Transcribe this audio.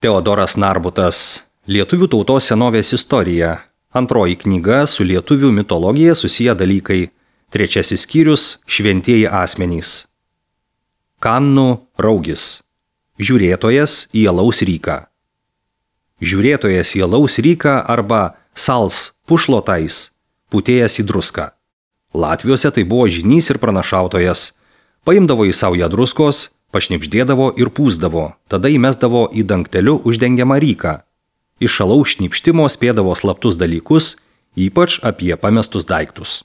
Teodoras Narbutas. Lietuvių tautos senovės istorija. Antroji knyga su lietuvių mitologija susiję dalykai. Trečiasis skyrius – šventieji asmenys. Kannų raugis. Žiūrėtojas į alaus ryką. Žiūrėtojas į alaus ryką arba sals pušlotais, putėjęs į druską. Latviuose tai buvo žynys ir pranašautojas. Paimdavo į saują druskos, pašnipždėdavo ir pūsdavo, tada įmesdavo į dangteliu uždengiamą ryką. Iš alaus šnipštimo spėdavo slaptus dalykus, ypač apie pamestus daiktus.